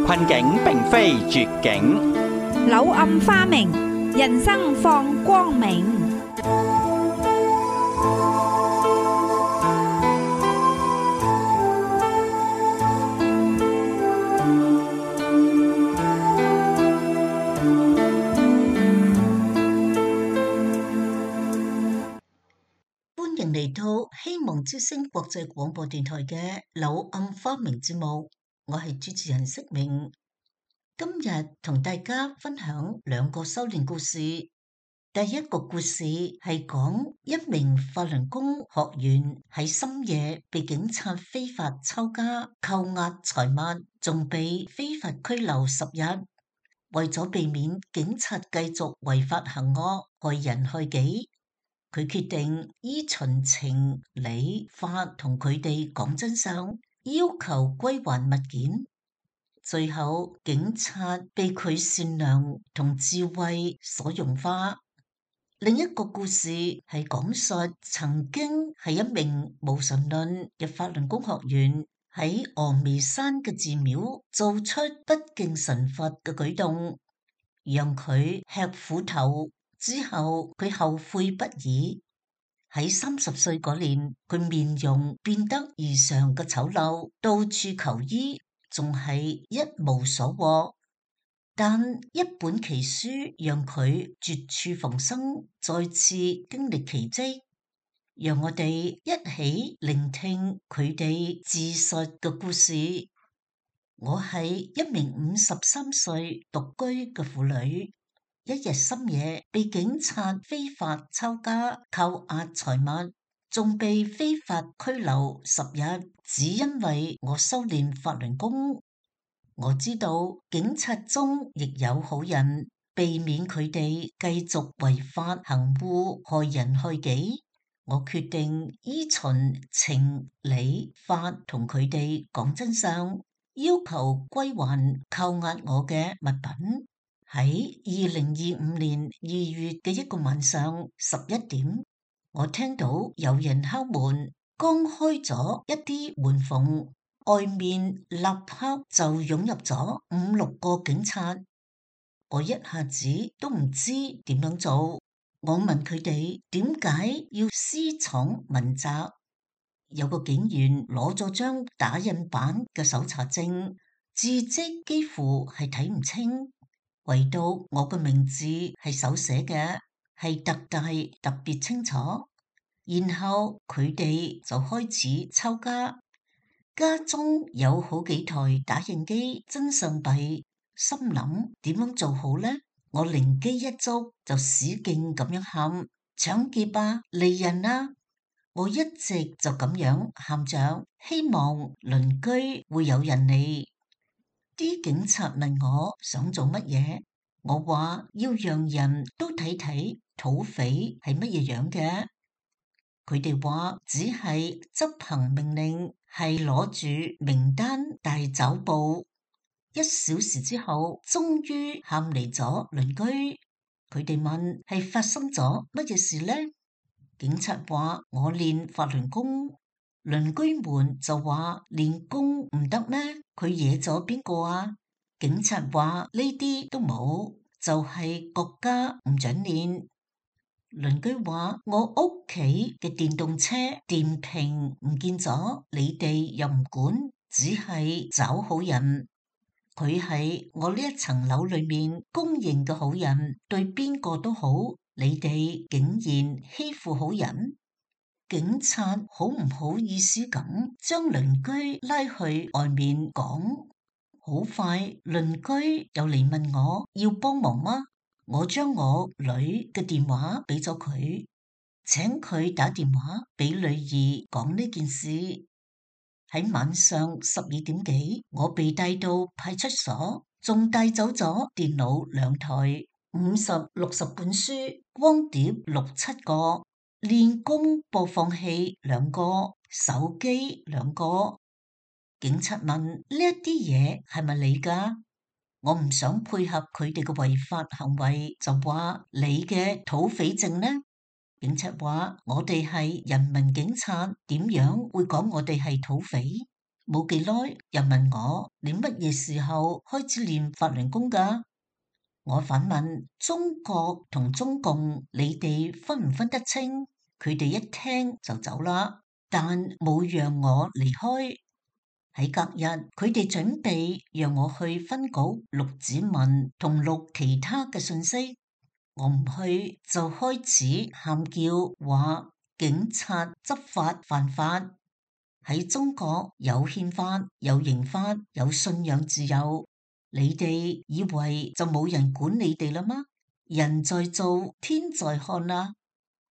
困境並非絕境，柳暗花明，人生放光明。歡迎嚟到希望之聲國際廣播電台嘅柳暗花明節目，我係主持人釋明。今日同大家分享兩個修煉故事。第一個故事係講一名法輪功學員喺深夜被警察非法抄家、扣押財物，仲被非法拘留10日。為咗避免警察繼續違法行惡、害人害己，佢決定依循情理法同佢哋講真相，要求歸還物件。最後，警察被佢善良同智慧所融化。另一個故事係講述曾經係一名無神論嘅法輪功學員喺峨眉山嘅寺廟做出不敬神佛嘅舉動，讓佢吃苦頭。之後佢後悔不已。喺30歲嗰年，佢面容變得異常嘅醜陋，到處求醫，仲係一無所獲。但一本奇書讓佢絕處逢生，再次經歷奇蹟。讓我哋一起聆聽佢哋自述嘅故事。我係一名53歲獨居嘅婦女，一日深夜被警察非法抄家、扣押財物，仲被非法拘留10日，只因為我修煉法輪功。我知道警察中亦有好人，避免佢哋繼續違法行護、害人害己。我決定依循情理法同佢哋講真相，要求歸還扣押我嘅物品。喺2025年2月嘅一個晚上11點，我聽到有人敲門，剛開咗一啲門縫，外面立刻就湧入咗5-6個警察。我一下子都唔知點樣做。我問佢哋點解要私闖問責。有個警員攞咗張打印版嘅搜查證，字跡幾乎係睇唔清，唯獨我嘅名字係手寫嘅，係特大特別清楚。然後佢哋就開始抄家。家中有好幾台打印機、真相幣，心諗點樣做好呢？我靈機一觸，就使勁咁樣喊：搶劫啊，利人啊！我一直就咁樣喊着，希望鄰居會有人嚟。啲警察問我想做乜嘢，我話要讓人都睇睇土匪係乜嘢樣嘅。佢哋話只係執行命令，係攞住名單大走步。1小時之後，終於喊嚟咗鄰居。佢哋問係發生咗乜嘢事呢？警察話我練法輪功。鄰居們就話練功唔得咩？佢惹咗邊個啊？警察話呢啲都冇，就係國家唔准練。鄰居話我屋企嘅電動車電瓶唔見咗，你哋又唔管，只係找好人。佢係我呢一層樓裏面公認嘅好人，對邊個都好，你哋竟然欺負好人。警察好唔好意思咁將鄰居拉去外面講。好快鄰居又嚟問我要幫忙嗎？我將我女嘅電話俾咗佢，請佢打電話俾女兒講呢件事。喺晚上12點幾，我被帶到派出所，仲帶走咗電腦2台、50、60本書、光碟6-7個、練功播放器2個、手機2個。警察問呢一啲嘢係咪你㗎？我唔想配合佢哋嘅違法行為，就話你嘅土匪證呢？警察話我哋係人民警察，點樣會講我哋係土匪？冇幾耐又問我你乜嘢時候開始練法輪功㗎？我反問中國同中共，你哋分唔分得清？佢哋一聽就走啦，但冇讓我離開。喺隔日，佢哋準備讓我去分局錄指紋同錄其他嘅信息，我唔去就開始喊叫，話警察執法犯法。喺中國有憲法、有刑法、有信仰自由，你哋以為就冇人管你哋啦嗎？人在做，天在看啊！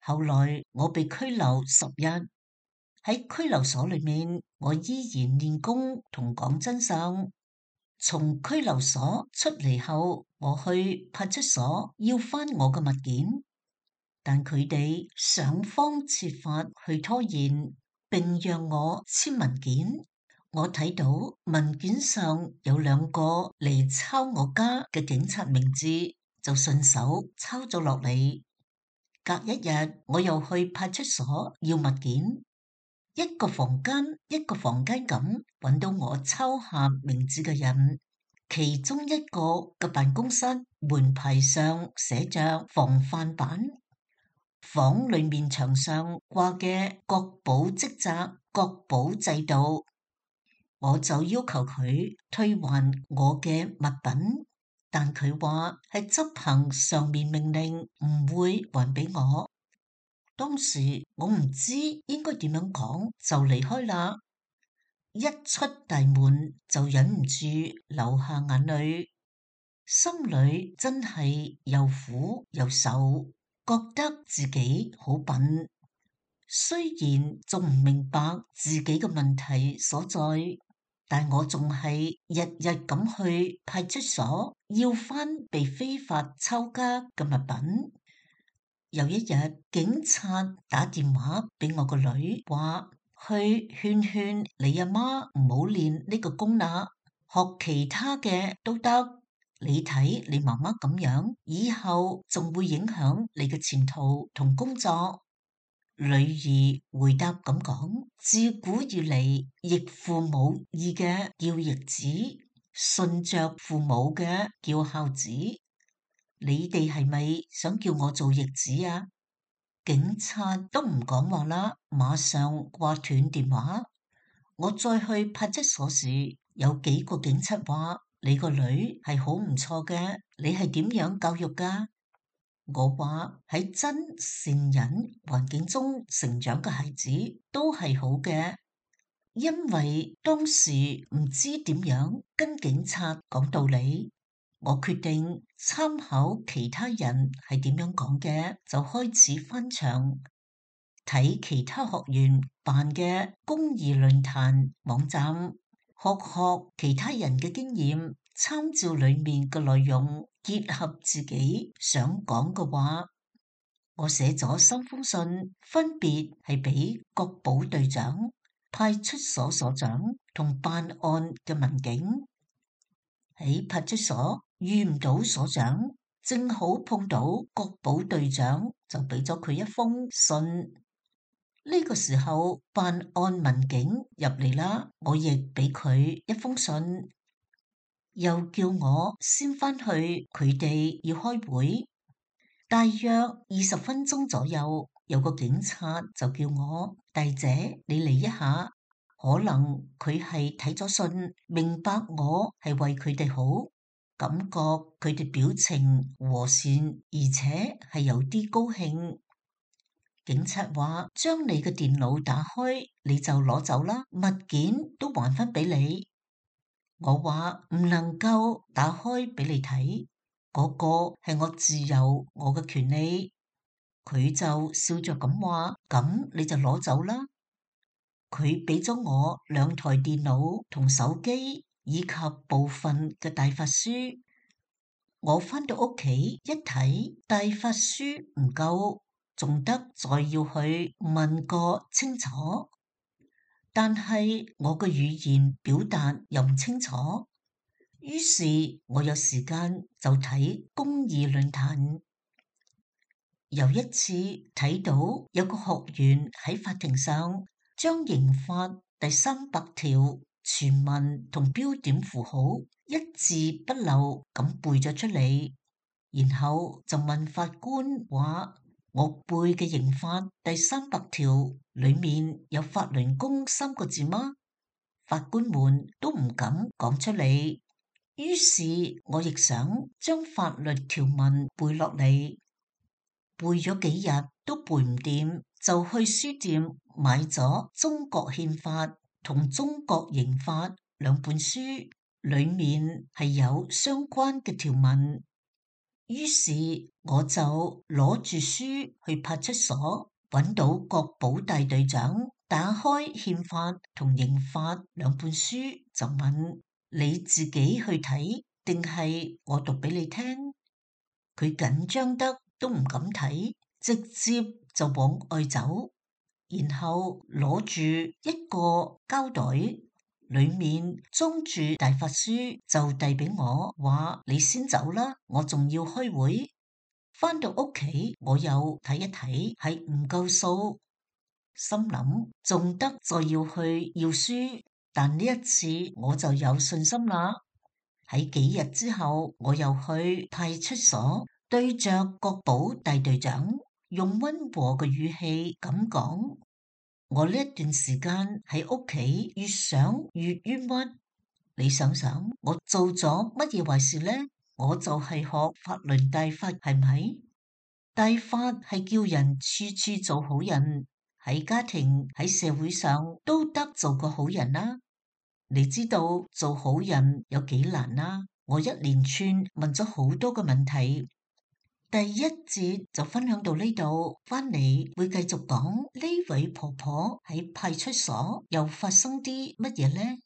後來我被拘留10日，喺拘留所裏面，我依然練功同講真相。從拘留所出嚟後，我去派出所要返我嘅物件，但佢哋想方設法去拖延，並讓我簽文件。我睇到文件上有2個嚟抄我家嘅警察名字，就順手抄咗落嚟。隔1日，我又去派出所要物件，一個房間一個房間咁揾到我抄下名字嘅人。其中一個嘅辦公室門牌上寫着防範版，房裏面牆上掛嘅國保職責、國保制度，我就要求佢退還我嘅物品，但佢話係執行上面命令，唔會還俾我。當時我唔知應該點樣講，就離開啦。一出大門就忍唔住流下眼淚，心裏真係又苦又愁，覺得自己好笨。雖然仲唔明白自己嘅問題所在，但我仲係日日咁去派出所要返被非法抄家嘅物品。有一日，警察打電話俾我個女，話去勸勸你阿媽唔好練呢個功啦，學其他嘅都得。你睇你媽媽咁樣，以後仲會影響你嘅前途同工作。女兒回答咁講：自古以嚟，逆父母意嘅叫逆子，順着父母嘅叫孝子。你哋係咪想叫我做逆子啊？警察都唔講話啦，馬上掛斷電話。我再去派出所時，有幾個警察話：你個女係好唔錯嘅，你係點樣教育㗎？我話喺真善忍環境中成長嘅孩子都係好嘅，因為當時唔知點樣跟警察講道理。我決定參考其他人係點樣講嘅，就開始翻牆睇其他學員辦嘅公義論壇網站，學其他人嘅經驗，參照裏面嘅內容，結合自己想講嘅話。我寫咗3封信，分別係俾國保隊長、派出所所長同辦案嘅民警。喺派出所遇唔到所長，正好碰到國保隊長，就俾咗佢一封信。呢個時候辦案民警入嚟啦，我亦俾佢一封信，又叫我先返去佢哋要開會。大約20分鐘左右，有個警察就叫我：大姐，你嚟一下。可能佢係睇咗信，明白我係為佢哋好，感覺佢哋表情和善，而且係有啲高興。警察話：將你嘅電腦打開，你就攞走啦，物件都還返俾你。我話唔能夠打開俾你睇，嗰個係我自由，我嘅權利。佢就笑着咁話：咁你就攞走啦。佢俾咗我2台電腦同手機以及部分嘅大法書。我返到屋企一睇，大法書唔夠，仲得再要去問個清楚。但係我嘅語言表達又唔清楚，於是我有時間就睇公義論壇。有一次睇到有個學員喺法庭上將刑法第300條全文同標點符號一字不漏咁背咗出嚟，然後就問法官話：我背嘅刑法第300條裏面有法輪功3個字嗎？法官們都唔敢講出嚟，於是我亦想將法律條文背落嚟，背咗幾日都背唔掂，就去書店買咗《中國憲法》同《中國刑法》2本書，裏面係有相關嘅條文。於是我就攞住書去派出所，揾到國保大隊長，打開憲法同刑法2本書，就問：你自己去睇定係我讀俾你聽？佢緊張得都唔敢睇，直接就往外走，然後攞住一個膠袋，裏面裝住大法書，就遞俾我，話：你先走啦，我仲要開會。返到屋企，我又睇一睇，係唔夠數，心諗仲得再要去要書，但呢一次我就有信心啦。喺幾日之後，我又去派出所，對着國保大隊長，用溫和嘅語氣咁講：我呢一段時間喺屋企越想越冤屈，你想想我做咗乜嘢壞事呢？我就係學法輪大法，係咪？大法係叫人處處做好人，喺家庭喺社會上都得做個好人啦。你知道做好人有幾難啦？我一連串問咗好多個問題。第1節就分享到呢度，返嚟會繼續講呢位婆婆喺派出所又發生啲乜嘢呢？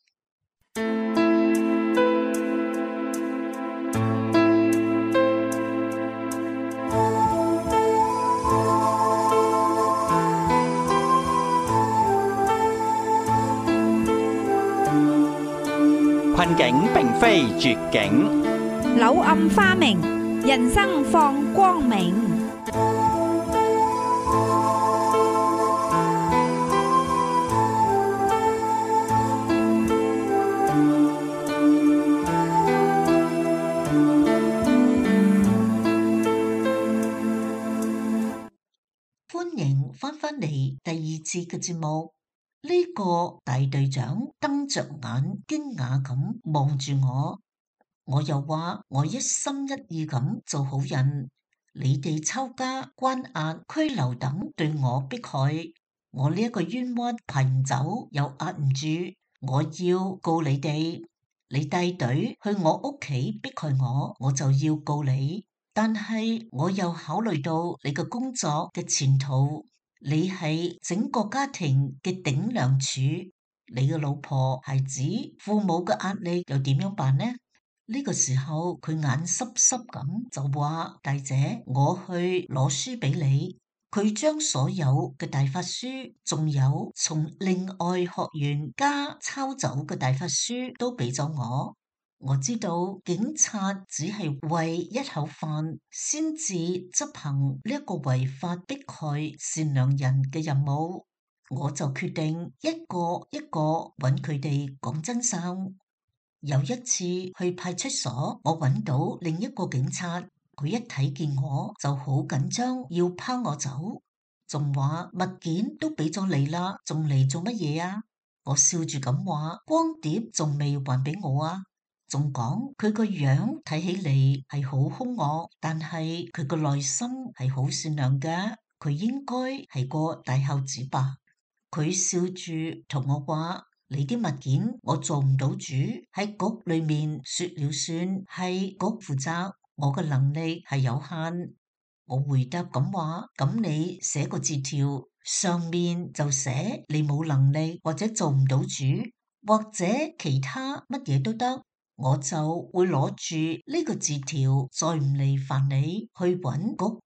困境並非絕境，柳暗花明，人生放光明。歡迎返嚟第2次嘅節目。呢個大隊長瞪着眼，驚訝咁望住我。我又話我一心一意咁做好人，你哋抄家、關押、拘留等對我迫害，我呢一個冤屈排唔走又壓唔住，我要告你哋。你帶隊去我屋企迫害我，我就要告你。但係我又考慮到你嘅工作嘅前途。你係整個家庭嘅頂梁柱，你嘅老婆、孩子、父母嘅壓力又點樣辦呢？呢個時候佢眼濕濕咁就話：大姐，我去攞書俾你。佢將所有嘅大法書，仲有從另外學員家抄走嘅大法書都俾咗我。我知道警察只係為一口飯先至執行呢一個違法迫害善良人嘅任務，我就決定一個一個揾佢哋講真相。有一次去派出所，我揾到另一個警察，佢一睇見我就好緊張，要拋我走，仲話物件都俾咗你啦，仲嚟做乜嘢啊？我笑住咁話：光碟仲未還俾我啊！仲講佢個樣睇起嚟係好兇惡，但係佢個內心係好善良嘅，佢應該係個大孝子吧？佢笑住同我話：你啲物件我做唔到主，喺局裏面說了算，係局負責，我嘅能力係有限。我回答咁話：咁你寫個字條，上面就寫你冇能力或者做唔到主，或者其他乜嘢都得。我就會攞住呢個字條，再唔嚟煩你去揾局。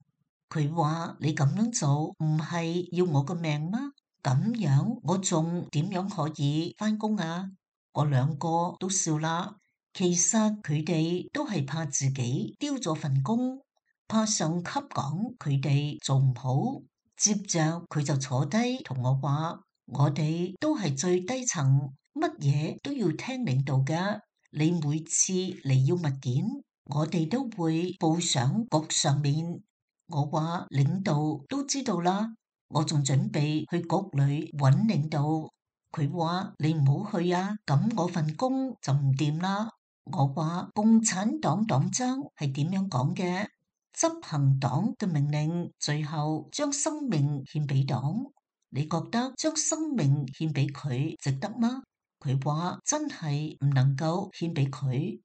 佢話：你咁樣做唔係要我個命嗎？咁樣我仲點樣可以返工啊？我兩個都笑啦。其實佢哋都係怕自己丟咗份工，怕上級講佢哋做唔好。接着佢就坐低同我話：我哋都係最低層，乜嘢都要聽領導㗎。你每次嚟要物件，我哋都會報上局上面。我話領導都知道啦，我仲準備去局裏揾領導。佢話你唔好去啊，咁我份工就唔掂啦。我話共產黨黨章係點樣講嘅？執行黨嘅命令，最後將生命獻俾黨。你覺得將生命獻俾佢值得嗎？佢話真係唔能夠獻俾佢。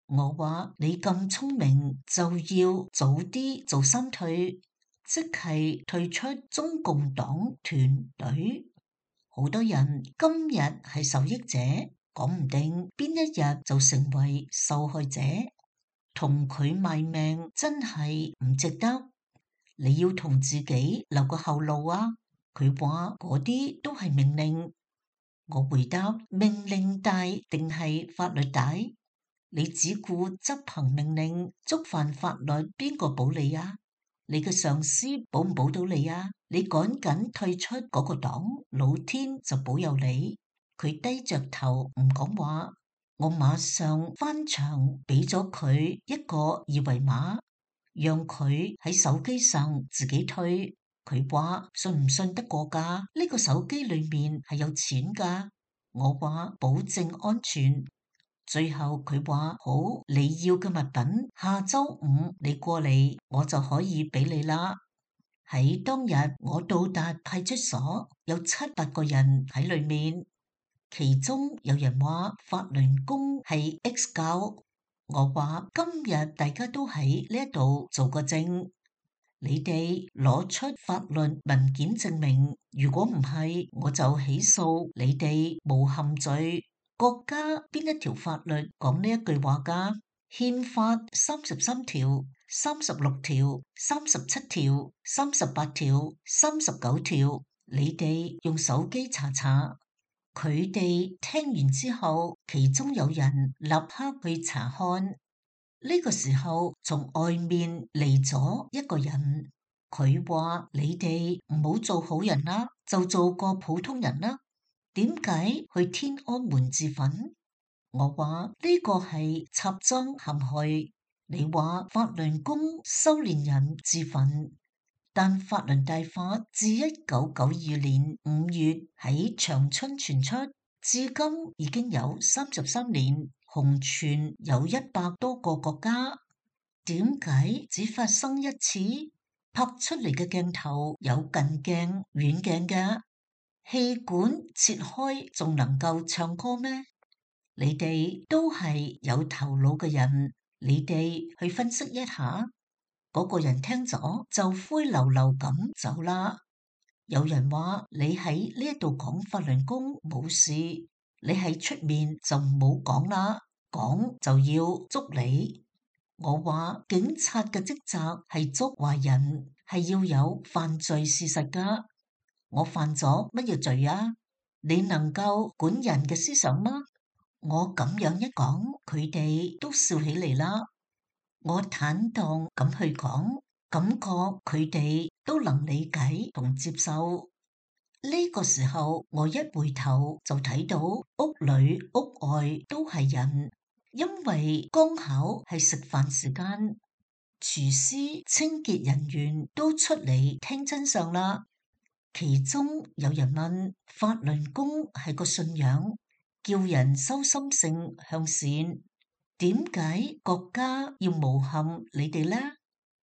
我話你咁聰明，就要早啲做三退，即係退出中共黨團隊。好多人今日係受益者，講唔定邊一日就成為受害者。同佢賣命真係唔值得。你要同自己留個後路啊。佢話嗰啲都係命令。我回答，命令大定係法律大？你只顧執行命令，觸犯法律，邊個保你啊？你嘅上司保唔保到你啊？你趕緊退出嗰個黨，老天就保佑你。佢低着頭唔講話。我馬上翻牆俾咗佢一個二維碼，讓佢喺手機上自己退。佢話信唔信得過㗎？呢個手機裏面係有錢㗎。我話保證安全。最後佢話好，你要嘅物品下周五你過嚟，我就可以俾你啦。喺當日我到達派出所，有7-8個人喺裏面。其中有人話法輪功係 X 教，我話今日大家都喺呢度做個證，你哋攞出法律文件證明，如果唔係我就起訴你哋誣陷罪。國家邊一條法律講呢一句話㗎？憲法33條、36條、37條、38條、39條，你哋用手機查查。佢哋聽完之後，其中有人立刻去查看。呢個時候，從外面嚟咗一個人，佢話：你哋唔好做好人啦，就做個普通人啦。點解去天安門自焚？我話呢個係插贓陷害。你話法輪功修煉人自焚？但法輪大法自1992年5月喺長春傳出，至今已經有33年，紅傳有100多個國家。點解只發生一次？拍出嚟嘅鏡頭有近鏡、遠鏡嘅，氣管切開仲能夠唱歌咩？你哋都係有頭腦嘅人，你哋去分析一下。嗰個人聽咗就灰溜溜咁走啦。有人話你喺呢一度講法輪功冇事，你喺出面就唔好講啦，講就要捉你。我話警察嘅職責係捉壞人，係要有犯罪事實㗎。我犯咗乜嘢罪啊？你能夠管人嘅思想嗎？我咁樣一講，佢哋都笑起嚟啦。我坦蕩咁去講，感覺佢哋都能理解同接受。呢個時候，我一回頭就睇到屋裏屋外都係人，因為剛巧係食飯時間，廚師、清潔人員都出嚟聽真相啦。其中有人問：法輪功係個信仰，叫人修心性向善，點解國家要誣陷你哋呢？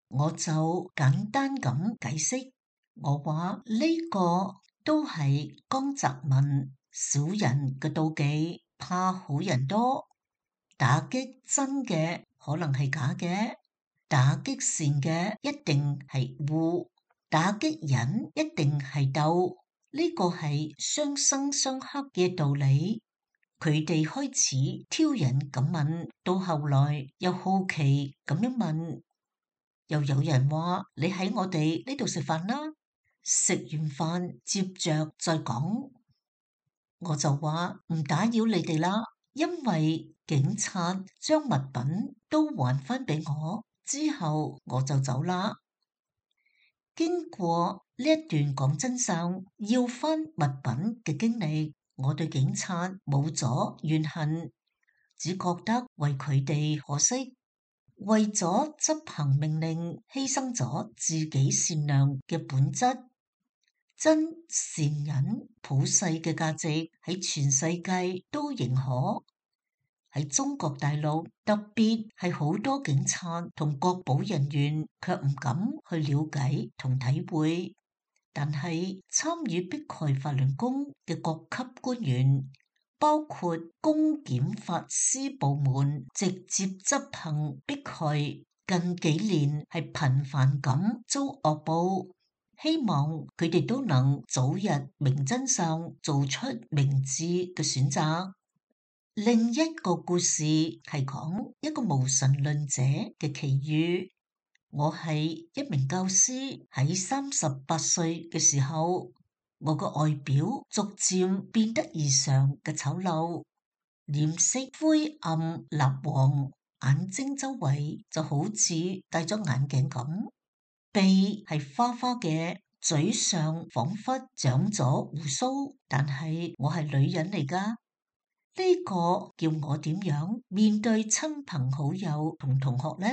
我就簡單咁解釋，我話呢個都係江澤民小人嘅妒忌，怕好人多，打擊真嘅可能係假嘅，打擊善嘅一定係惡，打擊人一定係鬥，呢個係相生相克嘅道理。佢哋開始挑釁咁問，到後來又好奇咁樣問，又有人話你喺我哋呢度食飯啦，食完飯接着再講。我就話唔打擾你哋啦，因為警察將物品都還返俾我，之後我就走啦。經過呢一段講真相要返物品嘅經歷，我對警察冇咗怨恨，只覺得為佢哋可惜，為咗執行命令犧牲咗自己善良嘅本質。真善忍普世嘅價值喺全世界都認可。喺中國大陸，特別係好多警察同國保人員卻唔敢去了解同體會。但係參與迫害法輪功嘅各級官員，包括公檢法司部門直接執行迫害，近幾年係頻繁咁遭惡報。希望佢哋都能早日明真相，做出明智嘅選擇。另一個故事係講一個無神論者嘅奇遇。我係一名教師，喺38歲嘅時候，我個外表逐漸變得異常嘅醜陋，臉色灰暗蠟黃，眼睛周圍就好似戴咗眼鏡咁，鼻係花花嘅，嘴上仿佛長咗鬍鬚，但係我係女人嚟㗎。呢個叫我點樣面對親朋好友同同學呢？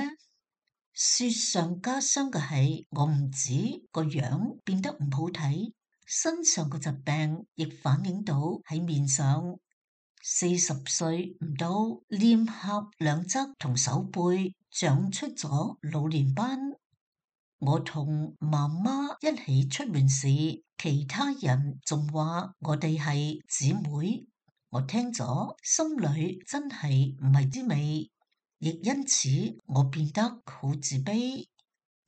雪上加霜嘅係，我唔止個樣變得唔好睇，身上嘅疾病亦反映到喺面上。40歲唔到，臉頰兩側同手背長出咗老年斑。我同媽媽一起出門時，其他人仲話我哋係姊妹。我聽咗，心裏真係唔係滋味，亦因此我變得好自卑，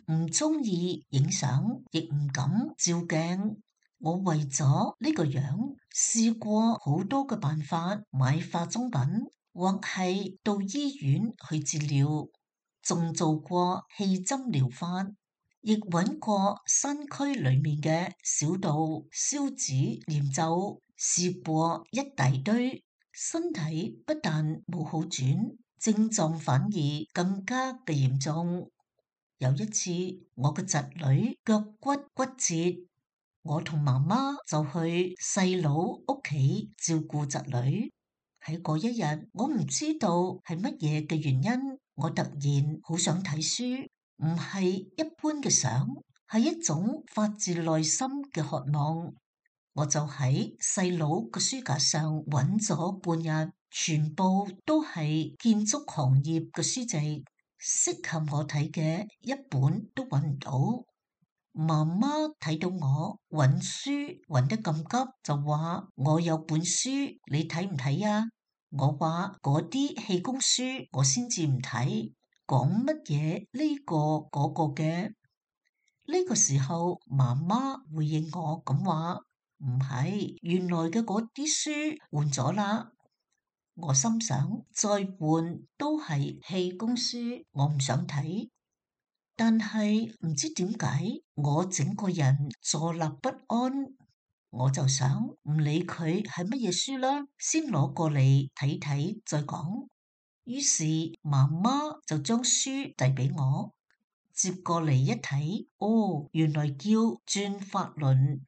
唔中意影相，亦唔敢照鏡。我為咗呢個樣，試過好多嘅辦法，買化妝品，或係到醫院去治療，仲做過氣針療法，亦揾過山區裏面嘅小道燒紙念咒。試過一大堆，身體不但冇好轉，症狀反而更加嘅嚴重。有一次，我個侄女腳骨骨折，我同媽媽就去細佬屋企照顧侄女。喺嗰一日，我唔知道係乜嘢嘅原因，我突然好想睇書，唔係一般嘅想，係一種發自內心嘅渴望。我就喺細佬個書架上揾咗半日，全部都係建築行業嘅書籍，適合我睇嘅一本都揾唔到。媽媽睇到我揾書揾得咁急，就話我有本書，你睇唔睇啊？我話嗰啲氣功書我先至唔睇，講乜嘢呢個嗰個嘅。呢個時候，媽媽回應我咁話。唔係，原來嘅嗰啲書換咗啦。我心想，再換都係氣功書，我唔想睇。但係唔知點解，我整個人坐立不安。我就想唔理佢係乜嘢書啦，先攞過嚟睇睇再講。於是媽媽就將書遞俾我，接過嚟一睇，哦，原來叫轉法輪。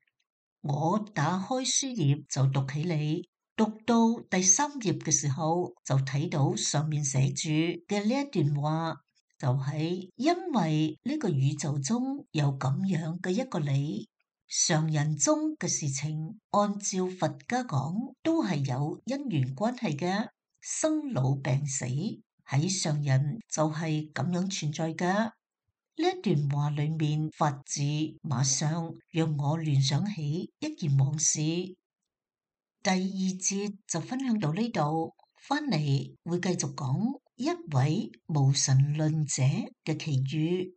我打開書頁就讀起嚟，讀到第3頁嘅時候就睇到上面寫住嘅呢一段話，就係因為呢個宇宙中有咁樣嘅一個理，常人中嘅事情，按照佛家講都係有因緣關係嘅，生老病死喺常人就係咁樣存在嘅。呢一段話裏面法字，馬上讓我聯想起一件往事。第2節就分享到呢度，翻嚟會繼續講一位無神論者嘅奇遇。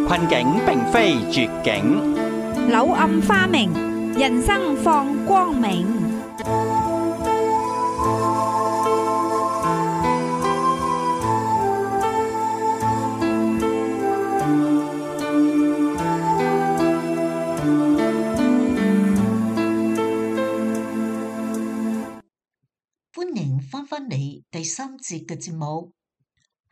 困境並非絕境，柳暗花明，人生放光明。3節嘅節目。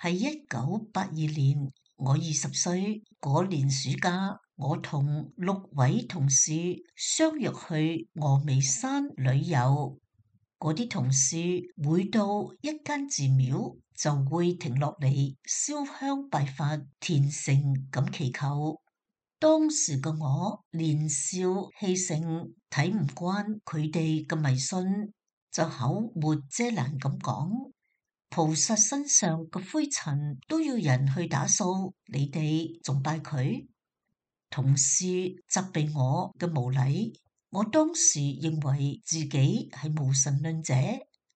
喺1982年，我20歲嗰年暑假，我同6位同事相約去峨眉山旅遊。嗰啲同事每到一間寺廟就會停落嚟燒香拜佛、虔誠咁祈求。當時嘅我年少氣盛，睇唔慣佢哋嘅迷信，就口沒遮攔咁講：菩薩身上嘅灰塵都要人去打掃，你哋仲拜佢？同事責備我嘅無禮，我當時認為自己係無神論者，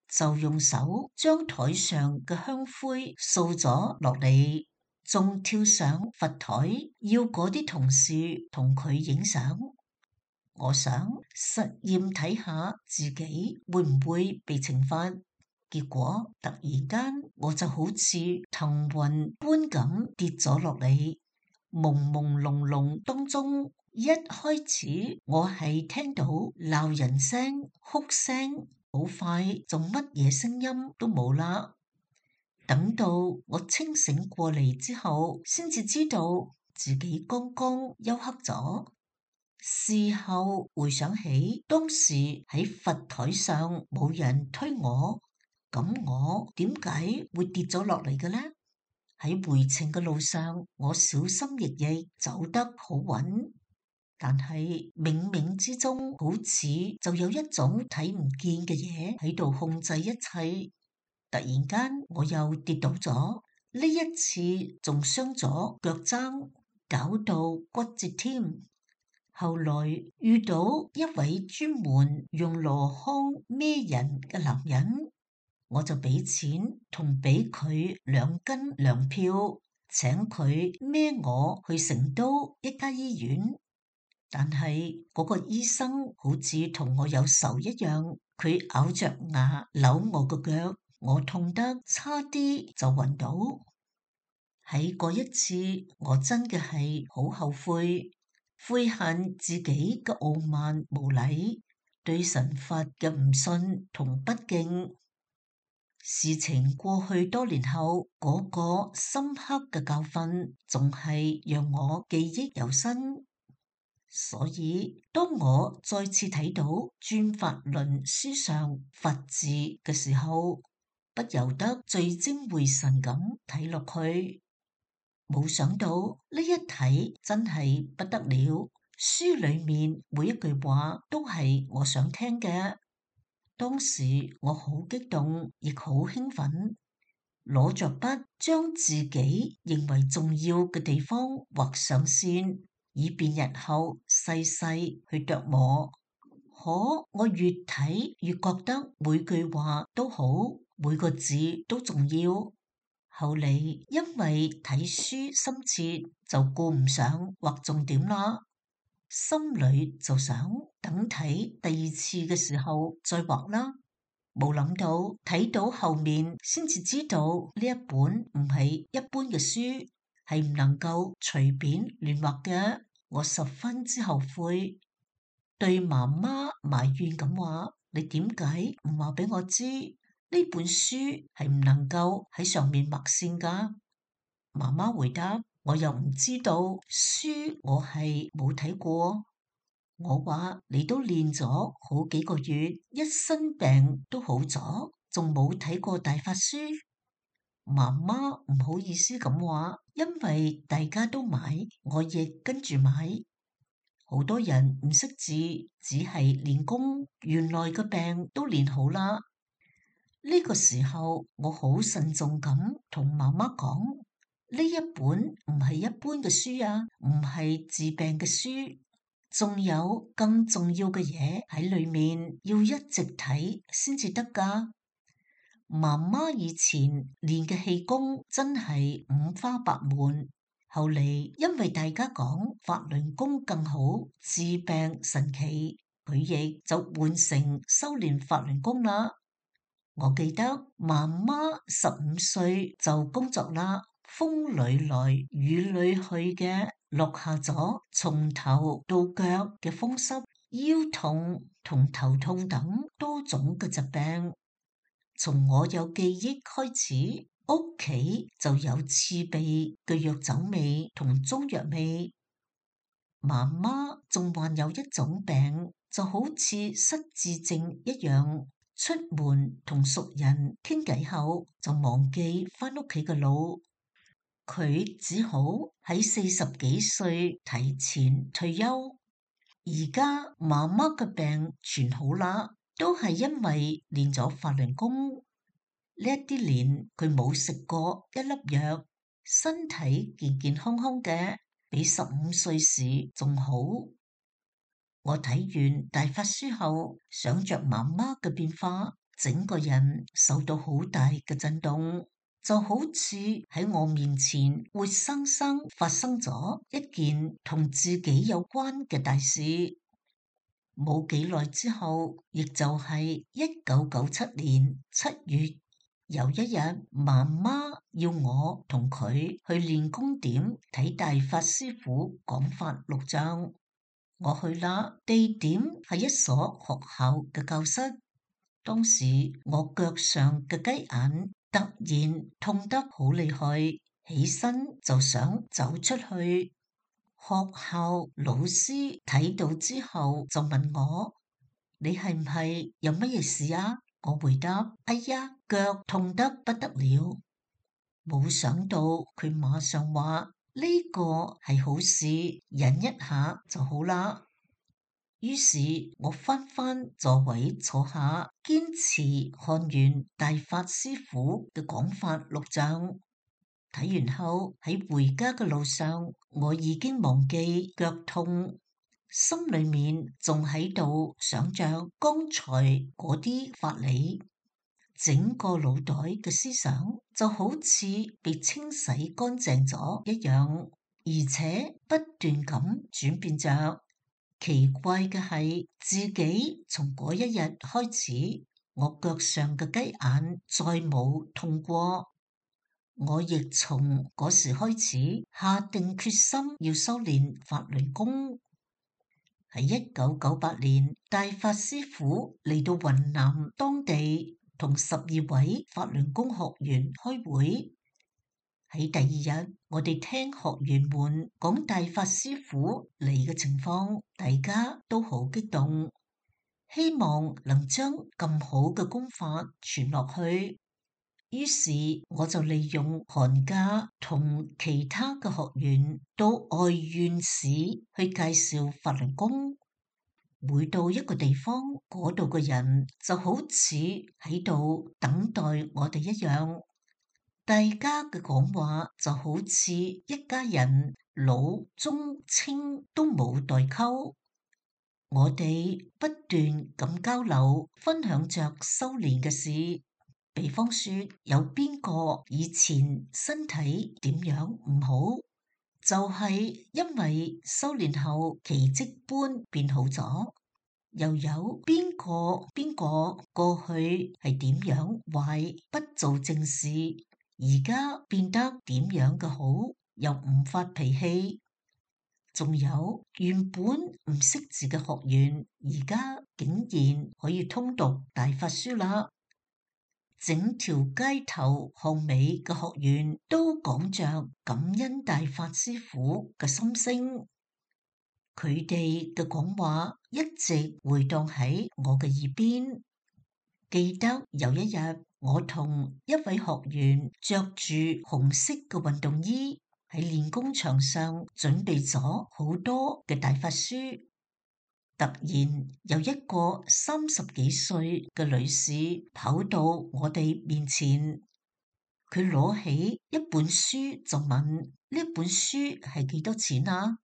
就用手將台上嘅香灰掃咗落嚟，仲跳上佛台要嗰啲同事同佢影相。我想實驗睇下自己會唔會被懲罰，結果突然間我就好似騰雲般咁跌咗落嚟，朦朦朧朧當中，一開始我係聽到鬧人聲、哭聲，好快就乜嘢聲音都冇啦。等到我清醒過嚟之後，先至知道自己剛剛休克咗。事後回想起，當時喺佛台上冇人推我，咁我點解會跌咗落嚟嘅呢？喺回程嘅路上，我小心翼翼走得好穩，但係冥冥之中好似就有一種睇唔見嘅嘢喺度控制一切。突然間我又跌倒咗，呢一次仲傷咗腳踭，搞到骨折添。後來遇到一位專門用籮筐孭人嘅男人，我就俾錢同俾佢2斤糧票，請佢孭我去成都一家醫院。但係嗰個醫生好似同我有仇一樣，佢咬着牙扭我個腳，我痛得差啲就暈倒。喺嗰一次，我真嘅係好後悔，悔恨自己嘅傲慢無禮，對神佛嘅唔信同不敬。事情過去多年後，嗰個深刻嘅教訓仲係讓我記憶猶新。所以當我再次睇到《轉法輪》書上佛字嘅時候，不由得聚精會神咁睇落去。冇想到呢一睇真係不得了，書裏面每一句話都係我想聽嘅。當時我好激動，亦好興奮，攞着筆將自己認為重要嘅地方畫上線，以便日後細細去琢磨。可我越睇越覺得每句話都好，每個字都重要。後嚟因為睇書心切，就顧唔上畫重點啦，心裏就想等睇第2次嘅時候再畫啦。冇諗到睇到後面先至知道呢一本唔係一般嘅書，係唔能夠隨便亂畫嘅。我十分之後悔，對媽媽埋怨咁話：你點解唔話俾我知呢本書係唔能夠喺上面畫線㗎？媽媽回答：我又唔知道，書我係冇睇過。我話：你都練咗好幾個月，一身病都好咗，仲冇睇過大法書？媽媽唔好意思咁話，因為大家都買，我亦跟住買。好多人唔識字，只係練功，原來個病都練好啦。呢個時候，我好慎重咁同媽媽講：呢一本唔係一般嘅書啊，唔係治病嘅書。仲有更重要嘅嘢喺裏面，要一直睇先至得㗎。媽媽以前練嘅氣功真係五花八門，後嚟因為大家講法輪功更好，治病神奇，佢亦就換成修練法輪功啦。我記得媽媽15歲就工作啦，風裏來雨裏去嘅，落下咗從頭到腳嘅風濕、腰痛同頭痛等多種嘅疾病。從我有記憶開始，屋企就有刺鼻嘅藥酒味同中藥味。媽媽仲患有一種病，就好似失智症一樣，出門同熟人傾偈後就忘記返屋企嘅路。佢只好喺40幾歲提前退休。而家媽媽嘅病全好啦，都係因為練咗法輪功。呢一啲年佢冇食過一粒藥，身體健健康康嘅，比15歲時仲好。我睇完大法書後，想着媽媽嘅變化，整個人受到好大嘅震動，就好似喺我面前活生生發生咗一件同自己有關嘅大事。冇幾耐之後，亦就係1997年7月，有一日，媽媽要我同佢去練功點睇大法師父講法錄像。我去啦，地點係一所學校嘅教室。當時我腳上嘅雞眼突然痛得好厲害，起身就想走出去。學校老師睇到之後就問我：你係唔係有乜嘢事啊？我回答：哎呀，腳痛得不得了。冇想到佢馬上話：呢個係好事，忍一下就好啦。於是我返座位坐下，堅持看完大法師父嘅講法錄像。睇完後喺回家嘅路上，我已經忘記腳痛，心裏面仲喺度想着剛才嗰啲法理，整個腦袋嘅思想就好似被清洗乾淨咗一樣，而且不斷咁轉變着。奇怪嘅係，自己從嗰一日開始，我腳上嘅雞眼再冇痛過。我亦從嗰時開始下定決心要修煉法輪功。喺1998年，大法師父嚟到雲南當地，同12位法輪功學員開會。喺第二日，我哋聽學員們講大法師父嚟嘅情況，大家都好激動，希望能將咁好嘅功法傳落去。於是我就利用寒假同其他嘅學員到外縣市去介紹法輪功。每到一個地方，嗰度嘅人就好似喺度等待我哋一樣。大家嘅講話就好似一家人，老中青都冇代溝。我哋不斷咁交流，分享着修煉嘅事。比方說，有邊個以前身體點樣唔好，就係因為修煉後奇蹟般變好咗。又有邊個過去係點樣壞，不做正事，而家變得點樣嘅好，又唔發脾氣。仲有原本唔識字嘅學員，而家竟然可以通讀大法書啦。整條街頭巷尾嘅學員都講着感恩大法師父嘅心聲。佢哋嘅講話一直回盪喺我嘅耳邊。記得有一日，我同一位學員着住紅色嘅運動衣喺練功場上準備咗好多嘅大法書。突然有一個30幾歲嘅女士跑到我哋面前，佢攞起一本書就問：呢本書係幾多錢啊？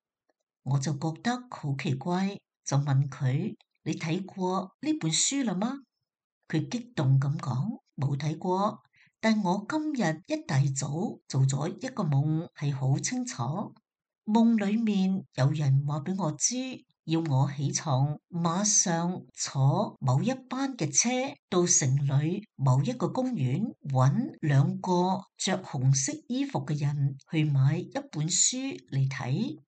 我就覺得好奇怪，就問佢：你睇過呢本書啦嗎？佢激動咁講：冇睇過，但我今日一大早做咗一個夢，係好清楚。夢裏面有人話俾我知，要我起床，馬上坐某一班嘅車到城裏某一個公園，揾2個着紅色衣服嘅人去買一本書嚟睇。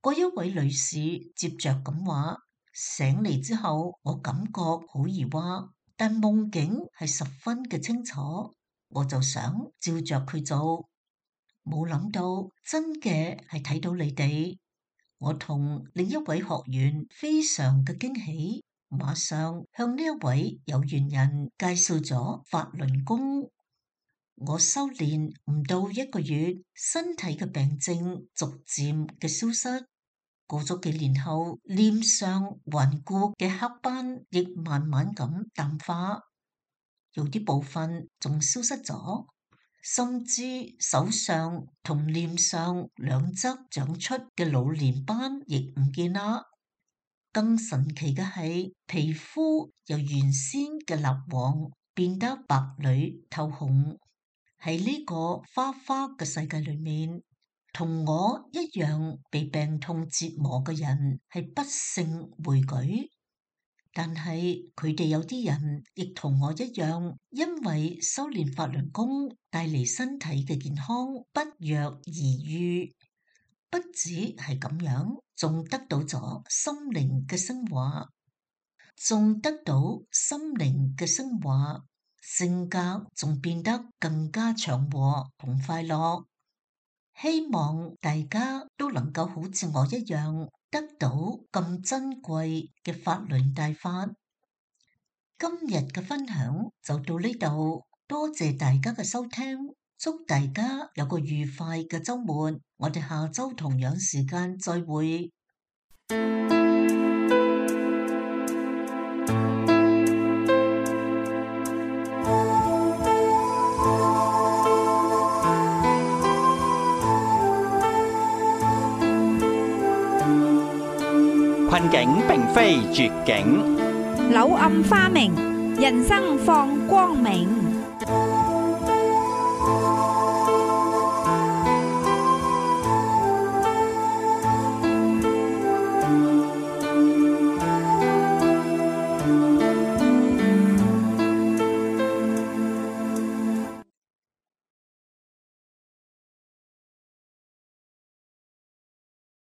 嗰一位女士接着咁話：醒嚟之後，我感覺好疑惑，但夢境係十分嘅清楚，我就想照着佢做。冇諗到真嘅係睇到你哋。我同另一位學員非常嘅驚喜，馬上向呢一位有緣人介紹咗法輪功。我修煉唔到1個月，身體嘅病症逐漸嘅消失。過咗幾年後，臉上頑固嘅黑斑亦慢慢咁淡化，有啲部分仲消失咗，甚至手上同臉上兩側長出嘅老年斑亦唔見啦。更神奇嘅係，皮膚由原先嘅蠟黃變得白裏透紅。喺呢個花花嘅世界裏面，同我一樣被病痛折磨嘅人係不勝枚舉，但係佢哋有啲人亦同我一樣，因為修煉法輪功帶嚟身體嘅健康不藥而癒。不止係咁樣，仲得到咗心靈嘅升華，性格仲變得更加祥和同快樂。希望大家都能夠好似我一樣，得到咁珍貴嘅法輪大法。今日嘅分享就到呢度，多謝大家嘅收聽，祝大家有個愉快嘅週末。我哋下週同樣時間再會。困境並非絕境，柳暗花明，人生放光明。